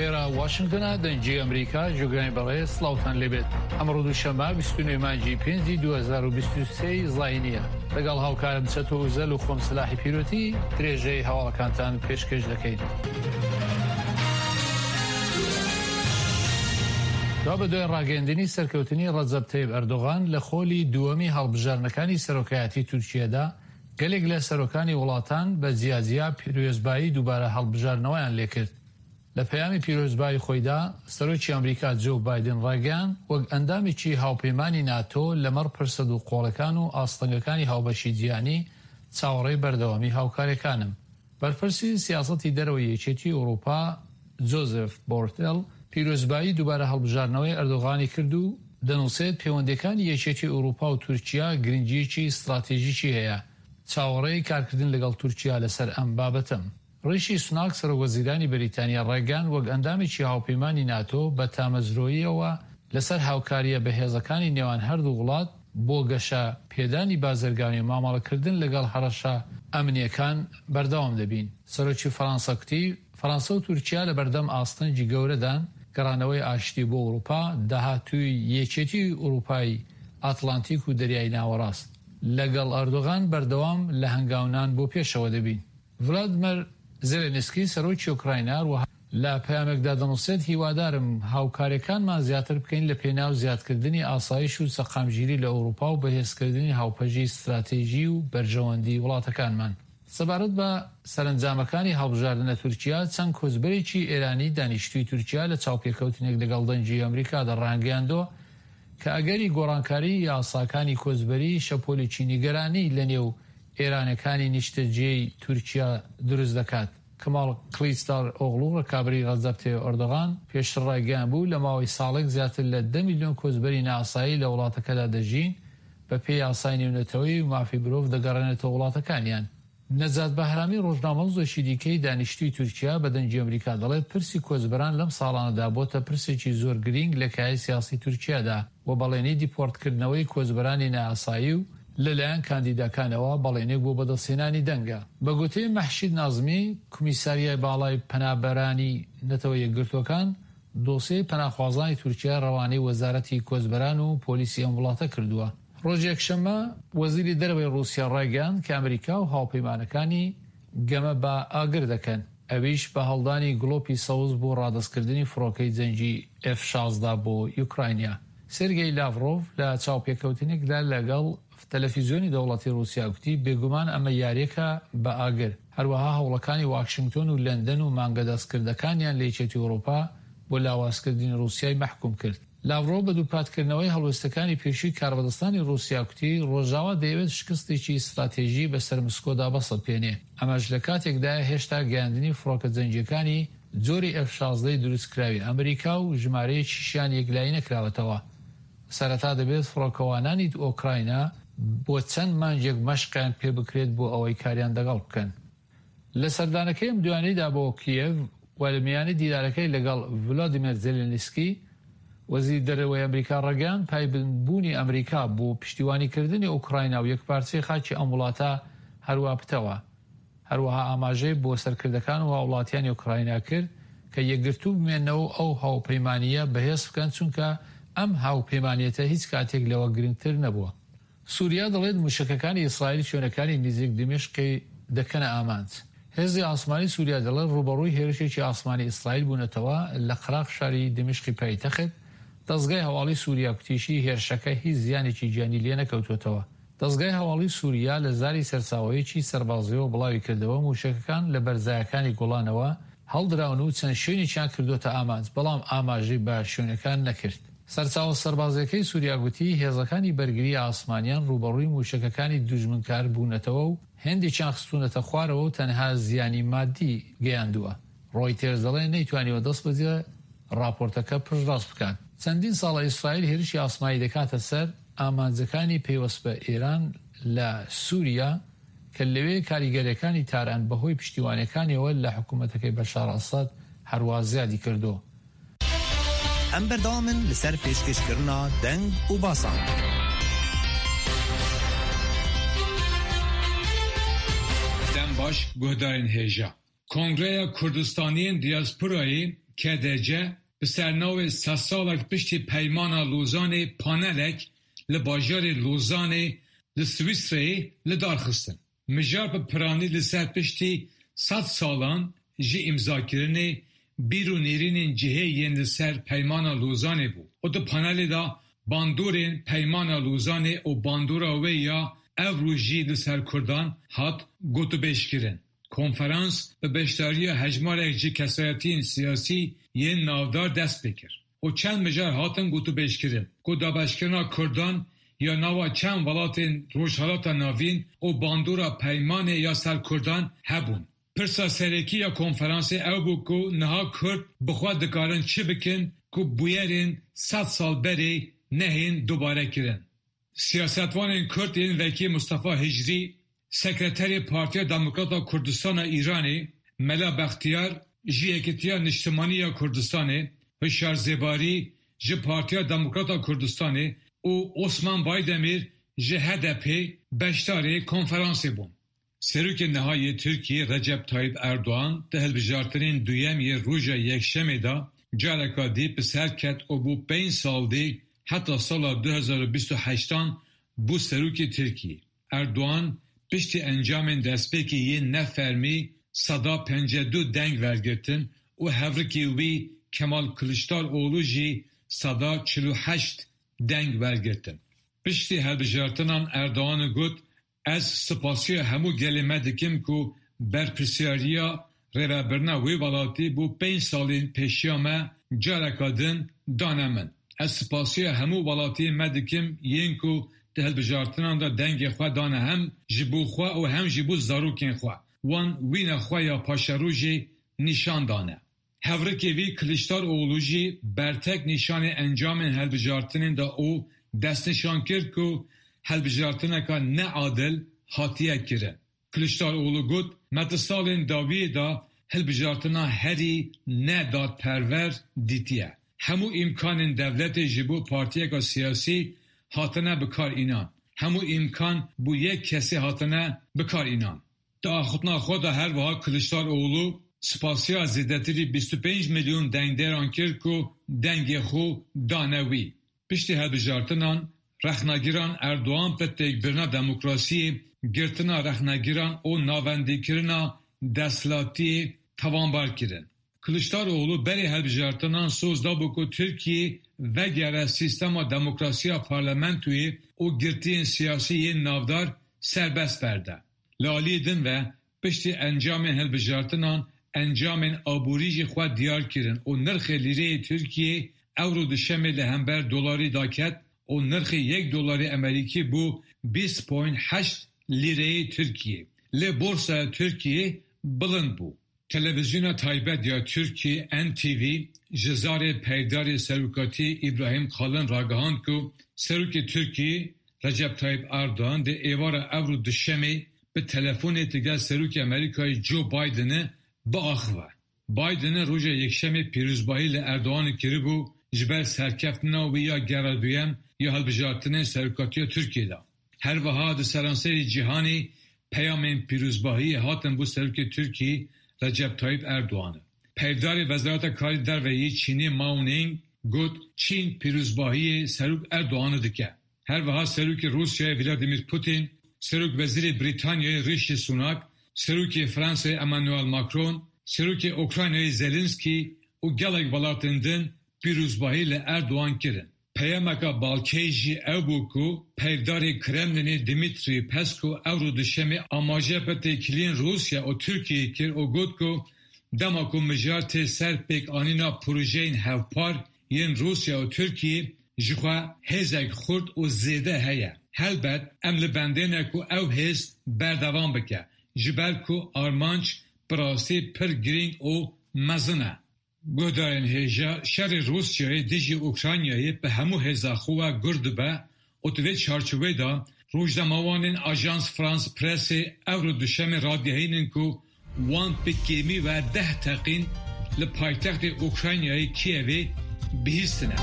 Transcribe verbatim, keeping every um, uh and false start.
ئێرە واشنگتنە، دەنگی ئەمریکا. گوێگرانی بەڕێز، سڵاوتان لێبێت. ئەمڕۆ دووشەممە بیست و نۆ مانگی پێنجی دوو هەزار و بیست و سێ زایینیە. لەگەڵ هاوکارم چەتۆ ئوزەل و خۆم سلاحی پیرۆتی درێژەی هەواڵەکانتان پێشکەش دەکەین. دوا بە دوای ڕاگەیاندنی سەرکەوتنی ڕەجەب تەیب ئەردۆغان لە خۆلی دووەمی هەڵبژاردنەکانی سەرۆکایەتی تورکیەدا، گەلێک لە سەرۆکانی وڵاتان بە جیاجیا پیرۆزبایی دووبارە هەڵبژاردنەوەیان لێکرد. لە پەیامی پیرۆزبایی خۆیدا سەرۆکی ئەمریکا جۆ بایدن ڕایگەیاند وەک ئەندامێکی هاوپەیمانی ناتۆ لەمەڕ پرسە دووقۆڵەکان و ئاستەنگەکانی هاوبەشی جیهانی چاوەڕێی بەردەوامی هاوکاریەکانم. بەرپرسی سیاسەتی دەرەوەی یەکێتی ئەوروپا جۆزێف بۆرتێل پیرۆزبایی دووبارە هەڵبژاردنەوەی ئەردۆغانی کرد و دەنووسێت پەیوەندیەکانی یەکێتی ئەوروپا و تورکیا گرنگیەکی ستراتیژیکی هەیە، چاوەڕێی کارکردن لەگەڵ تورکیا لەسەر ئەم بابەتەم. ڕیشی سوناک سەرۆک وەزیرانی بەریتانیا ڕایگەیاند وەک ئەندامێکی هاوپەیمانی ناتۆ بە تامەزرۆییەوە لەسەر هاوکارییە بەهێزەکانی نێوان هەردوو وڵات بۆ گەشە پێدانی بازرگانی و مامەڵەکردن لەگەڵ هەڕەشە ئەمنییەکان بەردەوام دەبین. سەرۆکی فەرەنسا کوتی فەرەنسا و تورکیا لەبەردەم ئاستەنگی گەورەدان، گەڕانەوەی ئاشتی بۆ ئەوروپا، داهاتووی یەکێتی ئەوروپای ئەتلانتیک و دەریای ناوەڕاست. لەگەڵ ئەردۆغان بەردەوام لە هەنگاونان بۆ پێشەوە دەبین. ڤلادیمێر زێلێنسکی سەرۆکی ئۆکراینا هەروەها لە پەیامێکدا دەنووسێت هیوادارم هاوکاریەکانمان زیاتر بکەین لە پێناو زیادکردنی ئاسایش و سەقامگیری لە ئەوروپا و بەهێزکردنی هاوپەژی ستراتیژی و بەرژەوەندی وڵاتەکانمان. سەبارەت بە سەرەنجامەکانی هەڵبژاردن لە تورکیا، چەند کۆچبەرێکی ئێرانی دانیشتووی تورکیا لە چاوپێکەوتنێک لەگەڵ دەنگی ئەمریکادا ڕایانگەیاندووە کە ئەگەری گۆڕانکاری یاساکانی کۆچبەری شەپۆلێکی نیگەرانی لەنێو ئێرانەکانی نیشتەجێی تورکیا دروست دەکات. کەمال کلیچدار ئۆغڵو ڕکابەری ڕەجەب تەیب ئەردۆغان پێشتر ڕایگەیاندبوو لە ماوەی ساڵێک زیاتر لە دە ملیۆن کۆچبەری نائاسایی لە وڵاتەکەدا دەژین، بەپێی یاسای نێونەتەوەیی و مافی مرۆڤ دەگەڕێنێتەوە وڵاتەکانیان. نەجات بەهرامی ڕۆژنامەنووسێکی دیکەی دانیشتووی تورکیا بە دەنگی ئەمریکا دەڵێت پرسی کۆچبەران لەم ساڵانەدا بۆتە پرسێکی زۆر گرینگ لە کایەی سیاسی تورکیادا و بەڵێنی دیپۆرتکردنەوەی کۆچبەرانی نائاسایی و لەلایەن کاندیداکانەوە بەڵێنێک بۆ بەدەستهێنانی دەنگە. بە گوتەی مەحشید نازمی، کۆمیساریای باڵای پەنابەرانی نەتەوە یەکگرتووەکان دۆسیەی پەناخوازانی تورکیا ڕەوانەی وەزارەتی کۆچبەران و پۆلیسی ئەم وڵاتە کردووە. ڕۆژی یەکشەممە وەزیری دەرەوەی ڕووسیا ڕایگەیاند کە ئەمریکا و هاوپەیمانەکانی گەمە بە ئاگر دەکەن، ئەویش بە هەڵدانی گڵۆپی سەوز بۆ ڕادەستکردنی فڕۆکەی جەنگی ئێف شازدە بۆ یوکراینیا. سێرگێی لاڤرۆڤ لە چاوپێکەوتنێکدا لەگەڵ تەلەفیزیۆنی دەوڵەتی ڕووسیا گوتی بێگومان ئەمە یاریەکە بە ئاگر، هەروەها هەوڵەکانی واشنگتۆن و لەندەن و مانگە دەستکردەکانیان لە یەکێتی ئەوروپا بۆ لاوازکردنی ڕووسیای مەحکوم کرد. لاڤرۆڤ بە دووپاتکردنەوەی هەڵوێستەکانی پێشووی کاربەدەستانی ڕووسیا کوتی ڕۆژاوا دەیەوێت شکستێکی ستراتیژی بەسەر مسکۆدا بەسەپێنێ، ئەمەش لە کاتێکدایە هێشتا گەیاندنی فڕۆکە جەنگیەکانی جۆری ئێف شازدە دروستکراوی ئەمریکا و ژمارەیەکیشیان یەکلایی نەکراوەتەوە. سەرەتا دەبێت فڕۆکەوانانی ئۆکراینا بۆ چەند مانگێک مەشقیان پێ بکرێت بۆ ئەوەی کاریان دەگەڵ بکەن. لە سەردانەکەی ئەم دوایانەیدا بۆ کیێڤ و لە میانی دیدارەکەی لەگەڵ ڤلادیمێر زێلێنسکی وەزیری دەرەوەی ئەمریکا ڕایگەیاند پایبەندبوونی ئەمریکا بۆ پشتیوانیکردنی ئۆکراینا و یەکپارچەی خاکی ئەم وڵاتە هەروا پتەوە. هەروەها ئاماژەی بۆ سەرکردەکان و هاوڵاتیانی ئۆکراینا کرد کە یەکگرتوو بمێنەوە و ئەو هاوپەیمانییە بەهێز بکەن، چونکە ئەم هاوپەیمانیەتە هیچ کاتێک لەوە گرنگتر نەبووە. سوریا دەڵێت موشەکەکانی ئیسرائیل شوێنەکانی نزیک دیمەشقی دەکەنە ئامانج. هێزی ئاسمانی سوریا دەڵێت ڕووبەڕووی هێرشێکی ئاسمانی ئیسرائیل بوونەتەوە لە قەراغ شاری دیمەشقی پایتەخت. دەزگای هەواڵی سوریا کوتیشی هێرشەکە هیچ زیانێکی گیانی لێنەکەوتووەتەوە. دەزگای هەواڵی سوریا لە زاری سەرچاوەیەکی سەربازیەوە بڵاوی کردەوە موشەکەکان لە بەرزایەکانی گۆڵانەوە هەڵدراون و چەند شوێنێکیان کردووەتە ئامانج، بەڵام ئاماژەی بە شوێنەکان نەکرد. سەرچاوە سەربازیەکەی سوریا گوتی هێزەکانی بەرگری ئاسمانیان ڕووبەڕووی موشەکەکانی دوژمنکار بوونەتەوە و هێندێکیان خستوونەتە خوارەوە و تەنها زیانی مادی گەیاندووە. ڕۆیتێرز دەڵێ نەیتوانیوە دەست بەجێ ڕاپۆرتەکە پشتڕاست بکات. چەندین ساڵە ئیسرائیل هێرشی ئاسمانی دەکاتە سەر ئامانجەکانی پەیوەست بە ئێران لە سوریا کە لەوێ کاریگەریەکانی تاران بەهۆی پشتیوانیەکانیەوە لە حکوومەتەکەی بەشار ئەسەد هەروا زیادی کردووە. ئەم بەردەوامن لەسەر پێشکەشکردنا دەنگ و باسان. دەم باش گوهدارên hêja. Kongreya Kurdistaniyên Diasporayê K D C bi sernavê sed salek piştî Peymana Lozanê panelek li bajarê Lozanê li Swîsreyê li dar xistin. Mijar bi piranî li ser piştî sed salan ji îmzakirinê bîr û nêrînên cihê yên li ser Peymana Lozanê bû û di panelê de bandorên Peymana Lozanê û bandora wê ya ev roj jî li ser Kurdan hat gotûbêjkirin. Konferans bi beşdariya hejmarek ji kesayetiyên siyasî yên navdar dest pê kir û çend mijar hatin gotûbêjkirin ku dabeşkirina Kurdan ya nava çend welatên Rojhilata Navîn û bandora peymanê ya ser Kurdan hebûn. Pirsa serekî ya konferansê ew bû ku niha Kurd bi xwe dikarin çi bikin ku bûyerên sed sal berê nehên dubarekirin. Siyasetvanên Kurd ên wekî Mustafa Hicrî, Sekreterê Partiya Demokrata Kurdistana Îranê, Mela Bextiyar ji Yekîtiya Niştimanî ya Kurdistanê, Hişyar Zêbarî ji Partiya Demokrata Kurdistanê û Osman Baydemir ji H D P beşdarê konferansê bûn. Serokê niha yê Tirkiyê Recep Tayyip Erdogan di hilbijartinên duyem yê roja Yekşemê de careka dî bi ser ket û bû pênc sal dî heta sala du hezar û bîst û heştan bû serokê Tirkiyê. Erdogan piştî encamên destpêkê yên nefermî seda pêncî du deng wergirtin û hevrikê wî Kemal Kiliçdaroğlu jî seda çil û heşt deng wergirtin. Piştî hilbijartinan Erdogan got: Ez spasiya hemû gelê me dikim ku berpirsyariya rêvebirina wê welatî bû pênc salên pêşiya me careka din dane min. Ez spasiya hemû welatiyên me dikim yên ku di hilbijartinan de dengê xwe dane hem ji bo xwe û hem jî bo zarokên xwe. Wan wîna xwe ya paşerojê nîşan dane. Hevrikê wî Kiliçdaroğlu jî bertek nîşanê encamên hilbijartinê da û destnîşan kir ku hilbijartineka neadil hatiye kirin. Kiliçdaroğlu got: Me di salên dawiyê de hilbijartina herî nedadperwer dîtiye. Hemû îmkanên dewletê ji bo partiyeka siyasî hatine bikar înan. Hemû îmkan bo yek kesê hatine bikar înan. Di axaftina xwe de her wiha Kiliçdaroğlu spasiya zêdetirî bîst û pênc milyon dengdêran kir ku dengê xwe dane wî. Piştî hilbijartinan rexnegiran Erdogan bi têkbirina demokrasiyê, girtina rexnegiran û navendîkirina desthilatiyê tawanbar kirin. Kiliçdaroğlu berê hilbijartinan soz dabû ku Tirkiye vegere sîstema demokrasiya parlamentoyê û girtiyên siyasî yên navdar serbest berde. Li aliyê din ve piştî encamên hilbijartinan encamên aborî jî xwe diyar kirin û nirxê lîreyê Tirkiyê ewro duşemê li hember dolarî daket û nirxê yek dolarê Amerîkî bû bîst point heşt lîreyê Tirkiyê. Lê borsaya Tirkiyê bilind bû. Televizyona taybet ya Tirkiye N T V ji zarê peyvdarê serokatî İbrahim Kalın ragihand ku Serokê Tirkiyê Recep Tayyip Erdogan di êvara ewro duşemê bi telefonê digel Serokê Amerîkayê Joe Bidenê biaxive. Bidenê roja Yekşemê pîrozbahî li Erdoganê kiribû ji ber serkeftina wî ya gera duyem ya hilbijartinên serokatiya Tirkiyê de. Her wiha di seranserê cîhanê peyamên pîrozbahiyê hatin bo Serokê Tirkiyê Recep Tayyip Erdoganê. Peyvdarê Wezareta Karê Derve yê Çînê Mao Ning got Çîn pîrozbahiyê Serok Erdoganê dike. Her wiha Serokê Rûsyayê Vladimir Putin, Serokwezîrê Brîtanyayê Rishi Sunak, Serokê Fransayê Emmanuel Macron, Serokê Ukraynayê Zelenski û gelek welatên din pîrozbahî li Erdogan kirin. Peyameka balkêş jî ew bû ku peyvdarê Kremlinê Dmitri Peskov ewro duşemê amaje bi têkiliyên Rûsya û Tirkiyeyê kir û got ku dema ku mijar tê ser pêkanîna projeyên hevpar yên Rûsya û Tirkiyeyê ji xwe hêzek xurt û zêde heye. Helbet em li bendê ne ku ew hêz berdewam bike, ji ber ku armanc bi rastî pir girîng û mezin e. Guhdarên hêja, şerê Rûsyayê dijî Ukraynayê bi hemû hêza xwe ve gur dibe û di vê çarçoveyê de rojnamevanên Ajans France Pressê ewro duşemê radigihînin ku wan bi kêmî ve deh teqîn li paytextê Ukraynayê Kievê bihîstine.